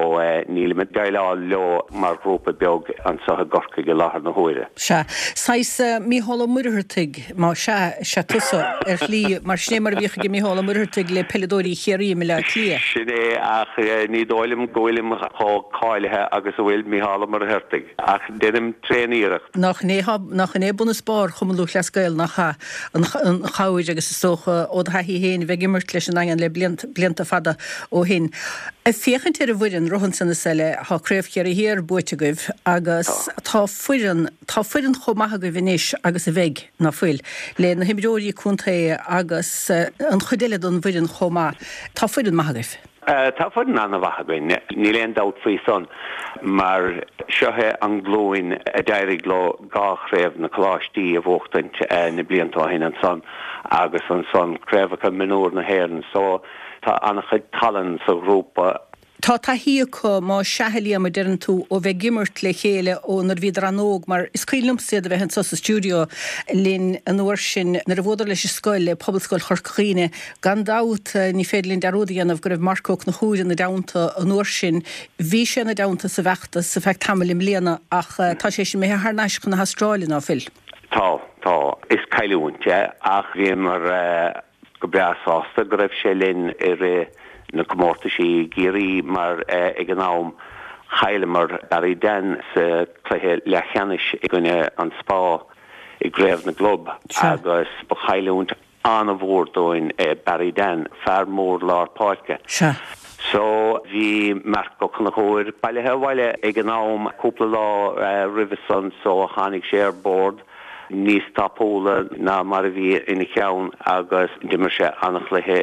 nílim ag déileáil leo mar ghrúpa beag anseo i gCorcaigh i láthair na huaire. Sea. Saghas Mícheál Ó Muircheartaigh, más ea, is ea tusa, ar shlí, mar sin é mar a bhíodh ag Mícheál Ó Muircheartaigh le peileadóirí Chiarraí i mBaile Átha Cliath. Sin é, ach ní dóigh liom go bhfuilim chomh cáilithe agus a bhfuil Mícheál Ó Muircheartaigh, ach déanaim tréan-iarracht. Nach in é, nach in é bun is barr Chumann Lúthchleas Gael, nach ea? An chabhair agus is dócha ó do thaithí féin a bheith ag imirt leis an nDaingean le blianta fada ó shin. Ag féachaint ar an bhfoireann, rud ansan is eile, tá Craobh Chiarraí Thiar buaite agaibh agus tá foireann, tá foireann chomh maith agaibh anois agus a bheidh, ná fuil, le na himreoirí contae agus an chuid eile den bhfoireann chomh maith. Tá foireann maith agaibh. Tá foireann an-mhaith againn, níl aon dabht faoi san, mar seo é an glúin a d'éirigh leo dhá chraobh na coláistí a bhuachtaint na blianta ó shin ansan agus ansan craobhacha mionúr na hÉireann so Tá an-chuid tallann sa ghrúpa. Tá taithí acu, más ea a Liam, a deireann tú, ó bheith ag imirt le chéile ó nuair a bhíodar an-óg mar is cuimhin liomsa iad a bheith anso sa stiúideo linn an uair sin nuair a bhuadar leis an scoil, le Pobalscoil Chorca Dhuibhne. Gan dabht, ní féidir linn dearúd a dhéanamh go raibh Marc Ó Conchúir ina dteannta an uair sin. Bhí sé ina dteannta sa bhfeachtas ar feadh tamaill i mbliana ach tá sé sin imithe thar n-ais chun na hAstráile, ná fuil? Tá, tá. Is cailliúint é ach bhíomar go breá sásta go raibh sé linn i rith na comórtaisí i gCiarraí mar ag an am chailleamar Barry Dan sa cluiche leathcheannais i gcoinne an Spá i gCraobh na gClub agus ba chailliúint an-mhór dúinn é Barry Dan, fear mór lár páirce. So bhí Marc Ó Conchúir bailithe abhaile ag an am cúpla lá roimhe san so tháinig sé ar bord níos tapúla ná mar a bhí ina cheann agus d'imir sé an-chluiche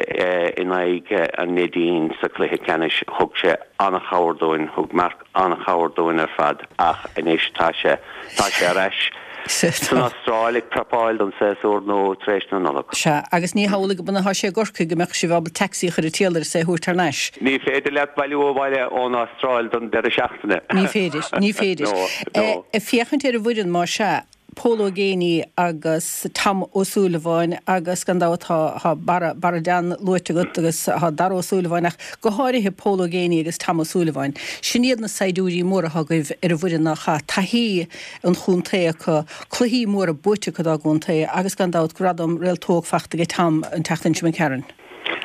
in aghaidh an Neidín sa chluiche ceannais. Thug sé an-chabhair dúinn, thug Marc an-chabhair dúinn ar fad ach anois tá sé, tá sé ar ais san Astráil ag prapáil don séasúr nua tar éis na Nollag. Sea, agus ní hamhlaidh go mba atá sé i gCorcaigh go mbeadh sibh ábalta taxi a chur ag triall air is é a thabhairt thar n-ais. Ní féidir leat bailiú abhaile ón Astráil don deireadh seachtaine. Ní féidir, ní féidir. No, no. Ag féachaint ar an bhfoireann, más ea, Pól Ó Géibheannaigh agus Tom Ó Súilleabháin agus gan dabht tá tá Barra Barra Dan luaite agat agus tá Dara Ó Súilleabháin ach go háirithe Pól Ó Géibheannaigh agus Tom Ó Súilleabháin. Sin iad na saighdiúirí móra atá agaibh ar an bhfoireann nach ea? Taithí an chontae acu, cluichí móra buaite acu dá gcontae agus gan dabht gradam Réalt Óg fachta ag Tom an tseachtain seo imigh tharainn.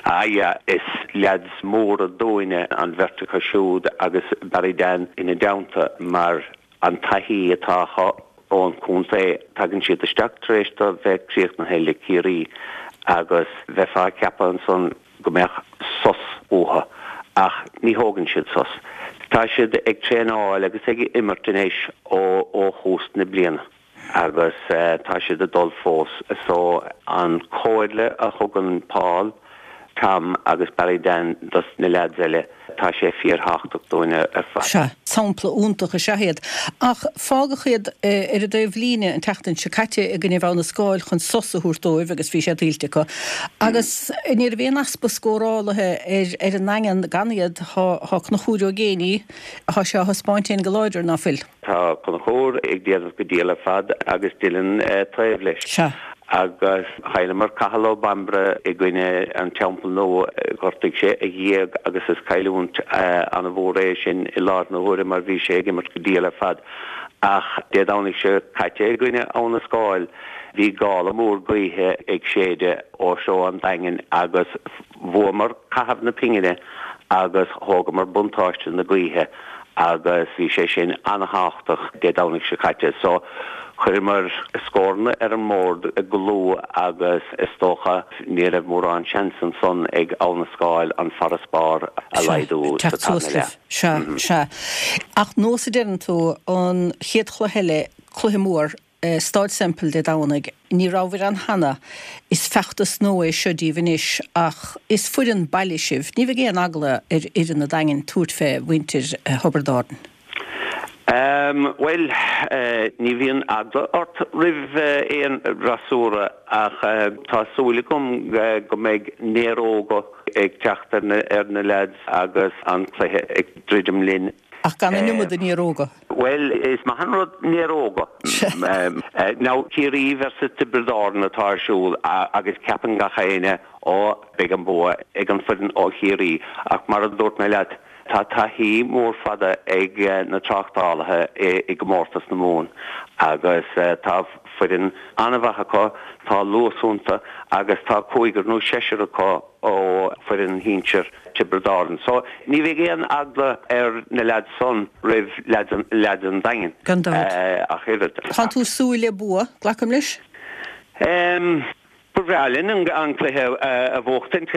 Ah yeah, is leaids móra dúinne an bheirt acu siúd agus Barry Dan ina dteannta mar an taithí atá acu ón chontae. Tagann siad isteach tar éis do bheith críochnaithe le Ciarraí agus bheifeá ag ceapadh ansan go mbeadh sos uathu ach ní thógann siad sos. Tá siad ag traenáil agus ag imirt anois ó ó thús na bliana agus tá siad ag dul fós. So an chomhairle a thugann Paul, Tom agus Barry Dan dos na leaids eile, tá sé fíorthábhachtach dúinne ar fad. Sea, sampla iontach is ea iad. Ach fágadh iad ar an dtaobhlíne an tseachtain seo caite i gcoinne Abha na Scáil chun sos a thabhairt dóibh agus bhí sé tuillte acu. Agus ní raibh aon easpa scórálaithe ar ar an nDaingean gan iad. Tá Conchúr Ó Géibheannaigh, tá sé á thaispeáint féin go láidir, ná fuil? Tá Conchúr ag déanamh go diail ar fad agus Dylan taobh leis. Sea. Agus chailleamar Cathal Ó Bambaire i gcoinne an Teampall Nua, ghortaigh sé a ghéag agus is cailliúint an-mhór é sin i láthair na huaire mar bhí sé ag imirt go diail ar fad. Ach Dé Domhnaigh seo caite i gcoinne Abha na Scáil, bhí gála mór gaoithe ag séideadh ó threo an Daingin agus bhuamar caitheamh na pingine agus thógamar buntáiste na gaoithe agus bhí sé sin an-thábhachtach Dé Domhnaigh seo caite. So chuireamar scóranna ar an mbord go luath agus is dócha ní raibh mórán seans ansan ag Abha na Scáil an farasbarr a laghdú sa Teacht suas tarna libh. leath. Sea, sea. Ach nós a deireann tú, an chéad chluiche eile, cluiche mór, Stáid Semple Dé Domhnaigh. Ní rabhabhair ann cheana. Is feachtas nua é seo daoibh anois ach is foireann baile sibh. Ní bheidh aon eagla ar fhoireann an Daingin tabhairt fé mhuintir Thiobraid Árann. Bhuel, ní bhíonn eagla ort roimh aon fhreasúra ach tá súil agam go mbeidh néaróga ag teacht ar na leaids agus an cluiche ag druidim linn. Ach gan an iomad de néaróga. Bhuel, is maith an rud néaróga. Now, Ciarraí versus Tiobraid Árann atá ar siúl agus ceapann gach éinne, ó, beidh an bua ag an foireann ó Chiarraí. Ach mar a dúirt mé leat, tá taithí mór fada ag na tráchtálaithe i gcomórtas na Mumhan agus tá foireann an-mhaith acu, tá luas iontu agus tá cúigear nó seisear acu ó foireann shinsir Tiobraid Árann. So ní bheidh aon eagla ar na leaids san roimh leaids an Daingin Gan dabht. ach oiread. Tá tú ag súil le bua, glacaim leis? Ba bhreá linn an cluiche a bhuachtaint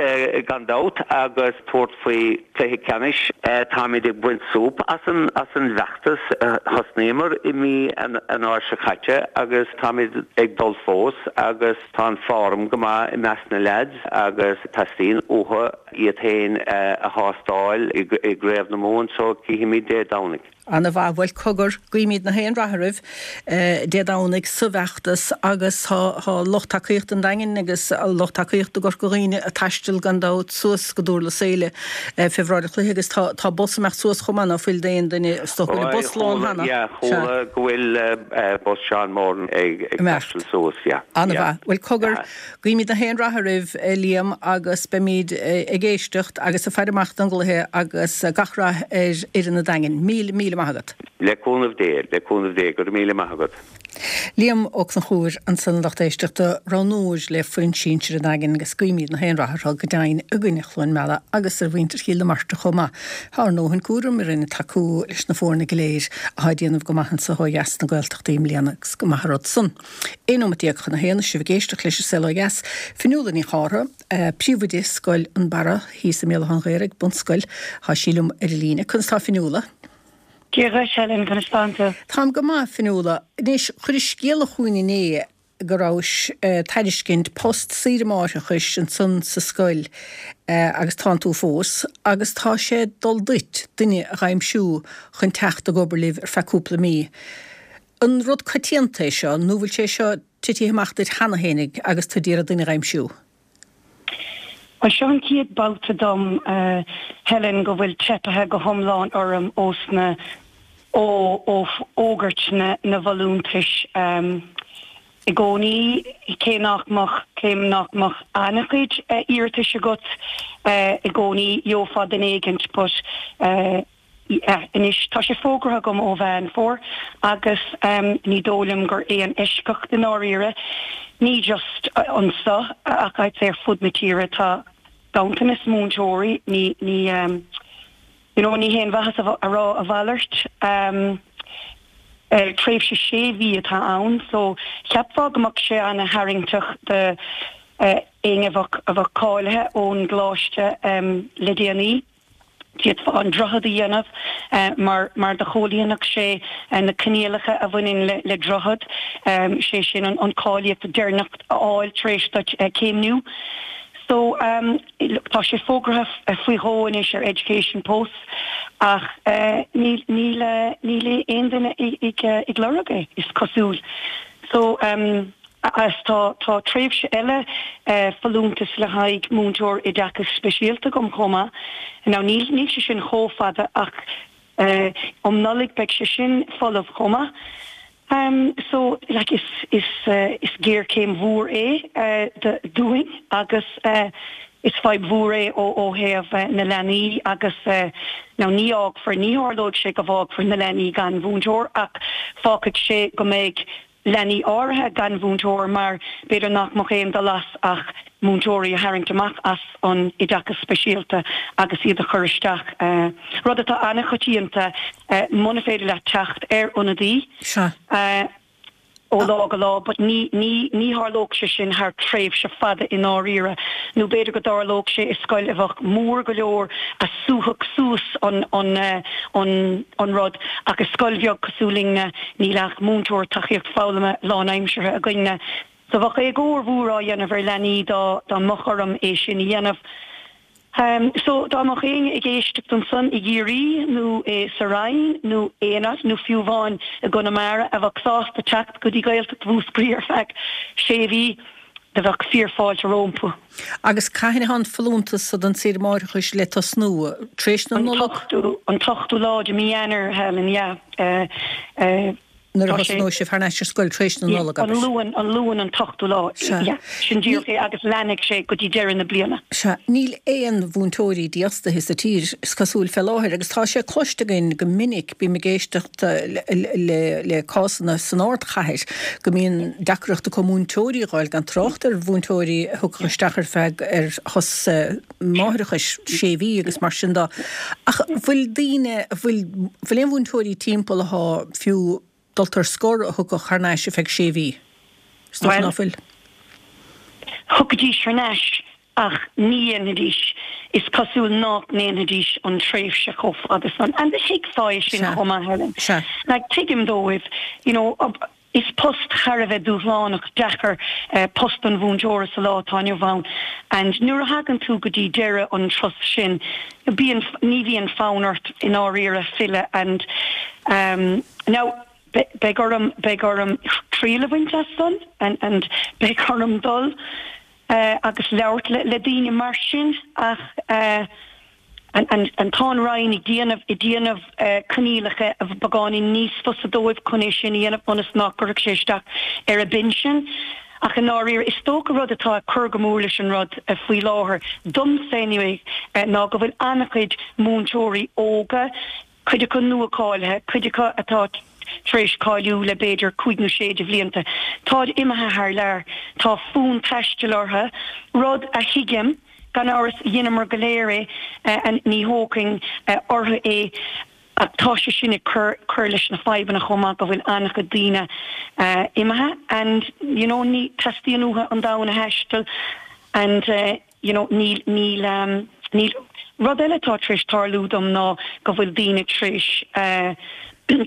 gan dabht agus tabhairt faoi chluiche ceannais. Táimid ag baint súp as an bhfeachtas. Thosnaíomar i mí Eanáir seo caite agus táimid ag dul fós agus tá an form go maith i measc na leaids agus teastaíonn uathu iad féin a thástáil i gCraobh na Mumhan so cífimid Dé Domhnaigh. Ana mhaith. Bhuel, cogar, guímid na haon rath oraibh Dé Domhnaigh sa bhfeachtas agus tá lucht tacaíochta an Daingin Daingean agus lucht tacaíochta i gCorca Dhuibhne ag taisteal gan dabht suas go Durlas Éile fé bhráid an chluiche agus tá tá bus ag imeacht suas chomh maith ná fuil d'aon duine is dócha go bhfuil bus lán cheana. Yeah, chuala go bhfuil bus Seán Moran ag ag taisteal suas, yeah. An-mhaith. Bhuel cogar, guímid na haon rath oraibh Liam agus beimid ag éisteacht agus ag faire amach don gcluiche agus gach rath ar fhoireann an Daingin. Míle míle maith agat. Le cúnamh Dé, le cúnamh Dé, go raibh míle maith agat. Liam Ó Conchúir ansan a lucht éisteachta, roghnóir le foireann sinsir an Daingin agus guímid na haon rath orthu go deimhin i gcoinne Chluain Meala agus ar mhuintir Chill na Martra chomh maith. Tá ár ndóthain cúraim orainn ag tacú leis na foirne go léir atá ag déanamh go maith anso ó dheas sna Gaeltachtaí i mbliana agus go maith an rud san. Aon nóiméad déag chun a haon, sibh ag éisteacht leis an Saol Ó Dheas. Fionnuala Ní Chártha, Príomhoide Scoil an Barra thíos i mBéal Átha an Ghaorthaidh, bunscoil, tá sí liom ar an líne. Conas tá Fionnuala? Dia dhuit, Helen, conas tánn tú? Táim go maith, Fionnuala. Anois, chuiris scéala chugainn inné go rabhais ag tairiscint post saoire máithreachais ansan sa scoil agus tánn tú fós, agus tá sé ag dul duit duine a dh'aimsiú chun teacht ag obair libh ar feadh cúpla mí. An rud coitianta é seo nó bhfuil sé seo titithe amach duit cheana fhéinig agus tú d'iarraidh duine dh'aimsiú? Bhuel, seo an chéad babhta dom, Helen, go bhfuil teipithe go hiomlán orm ós na, ó fhógairt na bhfolúntais. I gcónaí, cé nach mbeadh, cé nach mbeadh an-chuid iarratais agat i gcónaí, gheofá duine éigint but, Anois, tá sé fógartha agam ó Mheán Fómhair agus ní dóigh liom gur aon eisceacht i ndáiríre, ní just anso ach I'd say ar fud na tíre, tá ganntanas múinteoirí, ní, ní, you know, ní haon mhaitheas a rá a mhalairt. Tréimhse sé mhí atá ann so cheapfá go mbeadh sé ana-tharraingteach do éinne a bheadh, a bheadh cáilithe ón gcoláiste le déanaí. D'fhéadfá an droichead a dhéanamh mar mar do chomhlíonfadh sé na coinníollacha a bhaineann le droichead, sé sin an cáilíocht deireanach a fháil tar éis duit céimniú. So look tá sé fógartha faoi dhó anois ar Education Post ach níl níl níl aon duine ag ag lorg é, is cosúil. So. Agus tá tá tréimhse eile folúntas le haghaidh múinteoir oideachais speisialta agam chomh maith. Now níl níl sé sin chomh fada ach um Nollaig beidh sé sin folamh chomh maith. So like is is is géarchéim mhór é dúinn agus is fadhb mhór é ó ó thaobh na leanaí agus now ní fhágfar ní tharlóidh sé go bhfágfar na leanaí gan mhúinteoir ach fágfaidh sé go mbeidh leanaí áirithe gan mhúinteoir mar b'fhéidir nach mbeadh aon dul as ach múinteoirí a tharraingt amach as an oideachas speisialta agus iad a chur isteach, rud atá an-choitianta muna féidir leat teacht ar ionadaí ó lá go lá but ní ní ní tharlódh sé sin thar tréimhse fada i ndáiríre nó b'fhéidir go dtarlódh sé i scoil a bheadh mór go leor a súfadh suas an an an an rud ach i scoil bheag cosúil linne níl ach múinteoir tacaíocht foghlama lánaimseartha againne so bheadh éagóir mhór á dhéanamh ar leanaí dá dá mbeadh orm é sin a dhéanamh. So dá mbeadh éinne ag éisteacht ansan i gCiarraí nó i sa Rinn nó aon áit nó fiú amháin i gConamara a bheadh sásta teacht go dtí Gaeltacht Mhúscraí ar feadh sé mhí, do bheadh fíor-fháilte rompu. Agus cathain atá an folúntas so don tsaoire máithreachais le tosnú? Tar éis na Nollag? An t-ochtú lá de mí Eanáir, Helen, yeah. Nuair a thosnóidh sibh thar n-ais ar scoil tar éis na Nollag, abair. An Luan, an Luan an t-ochtú lá, yeah, sin díreach é agus leanfaidh sé go dtí deireadh na bliana. Sea, níl aon mhúinteoirí dífhostaithe sa tír, is cosúil, fé láthair agus tá sé cloiste againn go minic, bím ag éisteacht le le cásanna san ardchathair, go mbíonn deacracht acu múinteoirí a dh'fháil, gan trácht ar mhúinteoirí a thiocfadh isteach ar feadh ar shos máithreachais sé mhí agus mar sin de. Ach bhfuil daoine, bhfuil, bhfuil aon mhúinteoirí timpeall athá fiú dulta ar scor a thiocfadh thar n-ais ar feadh sé mhí? Is dócha ná fuil. Thiocfaidís thar n-ais ach ní dhéanfaidís, is cosúil nách ndéanfaidís an tréimhse chomh fada san. And thuigfeá é sin chomh maith, Helen. Like, tuigim dóibh, you know, Is post thar a bheith dúshlánach, deacair post an mhúinteora sa lá atá inniu ann and nuair a thagann tú go dtí deireadh an turas sin bíonn, ní bhíonn fonn ort i ndáiríre filleadh and now beidh orm, beidh orm triail a bhaint as san and and beidh orm dul. agus labhairt le, le daoine mar sin ach uh, an, an, an tá an Roinn ag déanamh ag déanamh uh, coinníollacha a beagáinín níos fusa dóibh chun é sin a dhéanamh ionas nach gcuirfeadh sé isteach ar a bpinsean. Ach i ndáiríre is dócha rud atá ag cur go mór leis an rud uh, faoi láthair domsa anyway uh, ná go bhfuil an-chuid múinteoirí óga, cuid acu nua-cháilithe, cuid acu atá tar éis cáiliú le b'fhéidir cúig nó sé de bhlianta. Táid imithe thar lear, tá fonn taistil orthu, rud a thuigim gan amhras dheineamar go léir é eh, ní thógfainn eh, orthu é ach tá sé sin ag cur cur leis na fadhbanna chomh maith go bhfuil an-chuid daoine uh, imithe and you know ní teastaíonn uathu an domhan a thaisteal and uh, you know níl níl um, níl rud eile tá tar éis tarlú dom ná go bhfuil daoine tar éis uh,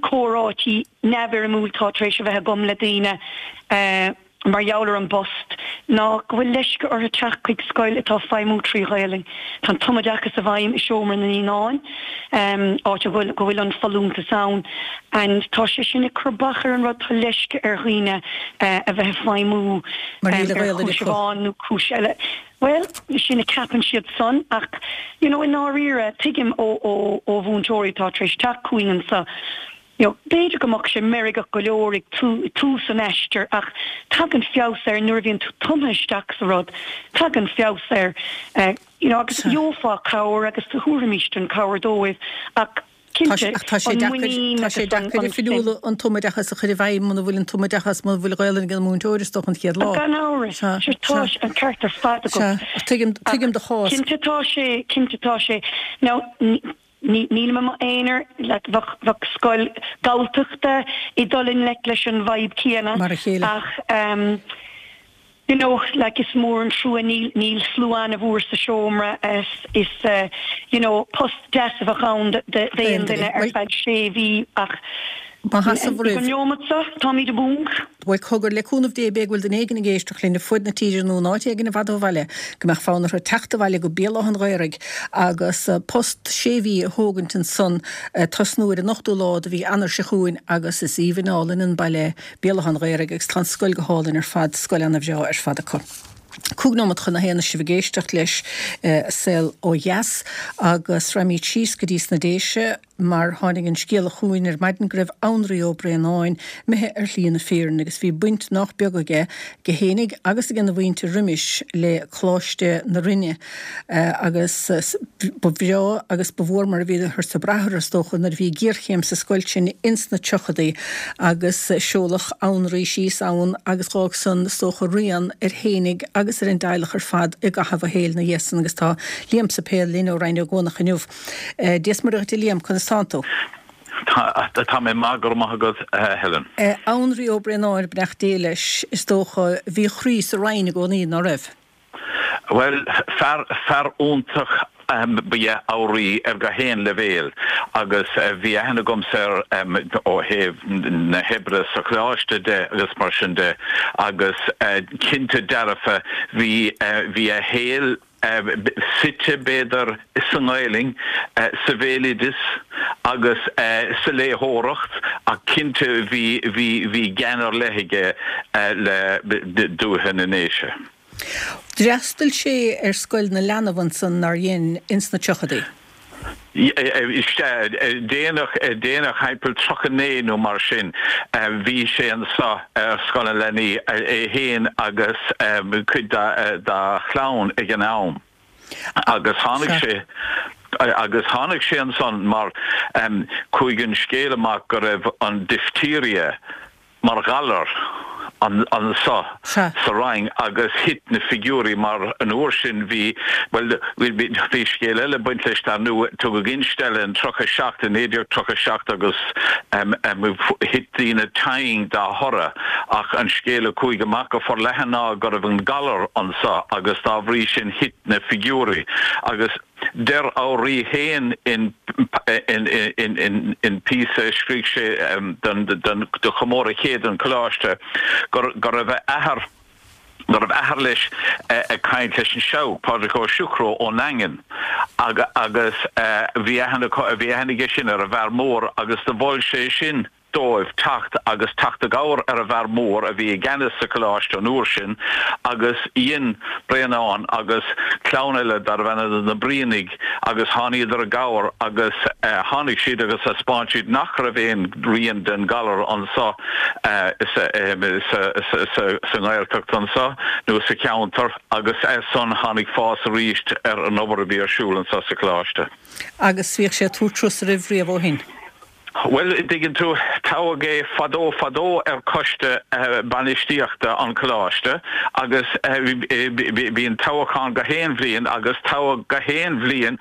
comhráití neamhfhoirmiúil tá tar éis a bheith agam le daoine uh, mar gheall ar an bpost ná go bhfuil leisce orthu teacht chuig scoil atá ag feidhmiú trí Ghaelainn. Tá an tumoideachas i bhfeidhm i seomra na naíonán, um, áit a bhfuil go bhfuil an folúntas ann, and tá sé sin ag cur bac ar an rud tá leisce ar dhaoine uh, a bheith ag feidhmiú Mar níl um, a ar Ghaelainn chúis acu. amháin nó cúis eile. Well, sin a ceapann siad san ach you know, i ndáiríre tuigim ó ó ó mhúinteoirí tá tar éis teacht chugainn anseo. You know, b'fhéidir go mbeadh sé meirgeach go leor ag tú tús an aistir ach tagann feabhas air nuair a bhíonn tú tumtha isteach sa rud, tagann feabhas air uh, you know, agus Sea. gheofá cabhair agus thabharfaimis an cabhair dóibh ach Tá cinnte sé- ach tá sé an deacair muinín tá sé agus an- deacair an oifigiúla an tumoideachas a chur i bhfeidhm muna bhfuil an tumoideachas muna bhfuil Gaelainn ag an múinteoir is dócha an chéad lá. Gan amhras Sea, Sea, tá sea. an ceart ar fad agat. Sea, ach tuigim tuigim do chás. Cinnte tá sé cinnte tá sé now ní níl mé aonar like bheadh bheadh scoil Gaeltachta ag dul i ngleic leis an bhfadhb céanna Mar a chéile. ach um, you know like is mór an trua níl níl slua an-mhór sa seomra is is uh, you know post deas a bheadh ann d'aon duine ar Well- feadh sé mhí ach Má sheasamh roimh. An neomat seo táimid i bponc. Bhuel cogar le cúnamh Dé b'fhéidir go bhfuil duine éigin ag éisteacht linn ar fud na tíre nó in áit éigin i bhfad ó bhaile, go mbeadh fonn orthu teacht abhaile go Béal Átha an Ghaorthaidh agus eh, post sé mhí a thógaint ansan eh, tosnú ar an ochtú lá de mhí Eanáir seo chugainn agus is aoibhinn álainn an baile Béal Átha an Ghaorthaidh agus tá an scoil go hálainn ar fad scoil an-bhreá ar fad acu. Cúig nóiméad chun a haon sibh ag éisteacht leis eh, saol ó dheas agus rachaimid síos go dtí sna Déise mar tháinig an scéala chugainn ar maidin go raibh Anraí Ó Braonáin imithe ar shlí na fírinne agus bhí baint nach beag aige go fhéinig agus ag an mhuintir roimis le Coláiste na Rinne eh, agus eh, s- ba bhreá agus ba mhór mar a bhíothar ag brath air is dócha nuair a bhí géarchéim sa scoil sin ins na tríochaidí agus eh, seoladh Anraí síos ann agus d'fhág san is dócha rian air fhéinig agus ar an dteaghlach ar fad i gcaitheamh a shaoil ina dhiaidh san agus tá Liam Séipéil linn ó Rinn Ó gCuanach inniu. Eh, Dia is Muire dhuit a Liam conas tánn tú. Tá tá mé maith go raibh maith agat eh, Helen. Eh, Anraí Ó Braonáin beannacht Dé leis is dócha bhí a chroí sa Rinn i gcónaí nach raibh. Well fear fear iontach um, ba ea Anraí ar gach aon leibhéal agus uh, bhí aithne agamsa air um, ó thaobh na hoibre sa choláiste de agus mar sin de agus uh, cinnte dearfa bhí uh, bhí a shaol uh, suite b'fhéidir sa nGaelainn uh, sa bhéaloideas agus uh, sa léitheoireacht a cinnte bhí bhí bhí gean ar leith aige uh, le dúiche na nDéise. D'fhreastail sé ar scoil na leanbh ansan nár dhein ins na tríochaidí. Déanach déanach timpeall tríocha naoi nó mar sin bhí sé anseo ar scoil na leanaí é féin agus cuid dá chlann ag an am. Agus tháinig sé agus tháinig sé ansan mar um, chuaigh an scéal amach go raibh an diphtheria mar ghalar an anseo sa Rinn agus thit na figiúirí mar an uair sin bhí well bhí scéal eile baint leis dar ndóigh tugadh ginmhilleadh an tríocha seacht in naoi déag tríocha seacht agus um, um, thit daoine tinn dá thoradh ach an scéal a chuaigh amach go forleathan ná go raibh an galar anseo agus dá bhrí sin thit na figiúirí agus deir Anraí féin in in in in in píosa scríobh sé um, don don do chomóradh céad an choláiste gur gur raibh athair gur raibh athair leis ag caint leis an Seabhac Pádraig Ó Siochró ón nDaingean agus bhí bhí aithne aige sin ar an bhfear mór agus do mhol sé sin dóibh teacht agus teacht i gcabhair ar an bhfear mór a bhí i gceannas sa choláiste an uair sin agus dhein Bréanán agus clann eile darbh ainm na Brianaigh agus tháiníodar i gcabhair agus tháinig siad agus thaispeáin siad nach raibh aon rian den ghalar anso sa nGaeltacht anso nó sa cheantar agus as san tháinig fás arís ar an obair a bhí ar siúl anso sa choláiste. Agus bhíodh sé ag tabhairt turas oraibh riamh ó shin? Bhuel, an dtuigeann tú, toghadh é fadó fadó ar choiste bainistíochta an choláiste agus bíonn toghachán gach aon bhliain agus toghadh gach aon bhliain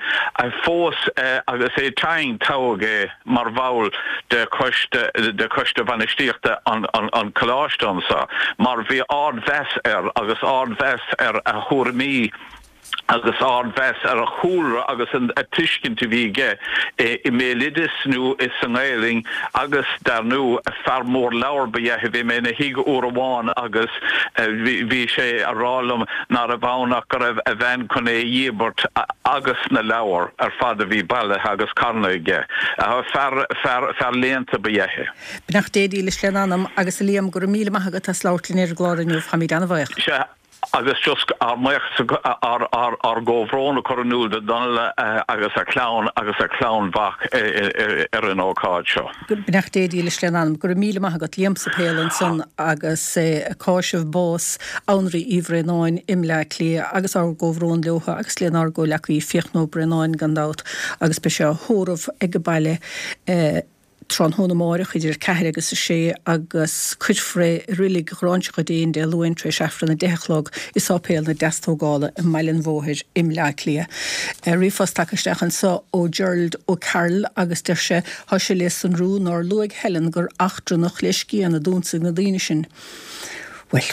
fós agus é tinn toghadh é mar bhall de choiste de choiste bainistíochta an an choláiste anso mar bhí ardmheas air agus ardmheas ar a thuairimí agus ardmheas ar a chúlra agus an tuiscint a bhí aige i mbéaloideas nó sa nGaelainn agus dar ndú fear mór leabhar ba ea é. Bhí mé ina thigh uair amháin agus bhí sé a rá liom ná raibh ann ach go raibh a bhean chun é a dhíbirt agus na leabhair ar fad a bhí bailithe agus carnaithe aige. Fear, fear, fear léannta ba ea é. Beannacht Dé dílis lena anam agus a Liam go raibh míle maith agat as labhairt linn ar an gclár inniu. Táimid an-bhuíoch. Sea. Agus just ár mbuíochas, ár gcomhbhrón a chur in iúl do Donal agus a chlann agus a chlann mhac ar an ócáid seo. Beannacht Dé dílis lena anam. Go raibh míle maith agat Liam Sáipéal ansan agus é ag cáiseamh bás Anraí Uí Bhraonáin i mBleá Cliath agus ár gcomhbhrón leo agus lenár gcomhleacaí Fiachna Ó Braonáin gan dabht agus beidh sé á thórramh ag an baile tráthnóna amáireach idir a ceathair agus a sé agus cuirfear é i Reilig Ghráinseach an Déin Dé Luain tar éis Aifreann a deich a chlog i Sáipéal na Deastógála i mBaile an Bhóthair i mBleá Cliath. Ríomhphost tagtha isteach anseo ó Gerald O'Carroll agus deir sé, Tá sé le sonrú nár luaigh Helen gur eachtrannach le scian a d'ionsaigh na daoine sin. Bhuel,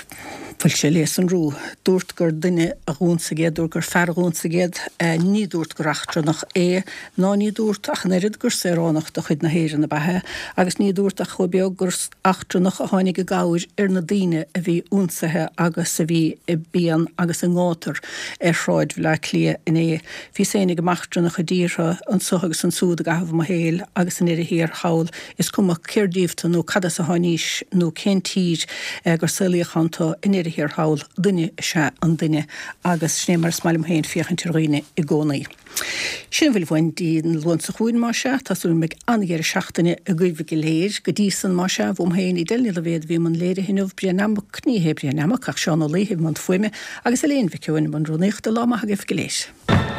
bhfuil sé le sonrú. Dúirt gur duine a dh'ionsaigh iad, dúirt gur fear a dh'ionsaigh iad, ní dúirt gur eachtrannach é, ná ní dúirt ach an oiread gur saoránach de chuid na hÉireann ab ea é, agus ní dúirt ach chomh beag gur eachtrannach a tháinig i gcabhair ar na daoine a bhí ionsaithe agus a bhí i bpian agus i ngátar ar shráid Bhaile Átha Cliath inné. Bhíos féin ag eachtrannaigh i dtíortha anso agus ansúd i gcaitheamh mo shaoil agus i ndeireadh thiar thall, is cuma cér díobh tu nó cad as a tháinís nó cén tír gur saolaíodh ann tu, i ndeireadh thiar thall, duine is ea an duine agus sin é mar is maith liom féin féachaint ar dhaoine i gcónaí. Sin a bhfuil uainn dtí an Luan seo chugainn, más ea. Tá súil go mbeidh an-dheireadh seachtaine agaibh go léir. Go dtí san, más ea, uaim féin, Edel Ní Loibhéad a bhí i mbun léirithe inniu, Brian Mac, ní hé Brian Mac ach Seán Ó Laoithe i mbun fuaime agus Elaine Mhic Eoin i mbun rúnaíochta. Lá maith agaibh go léir.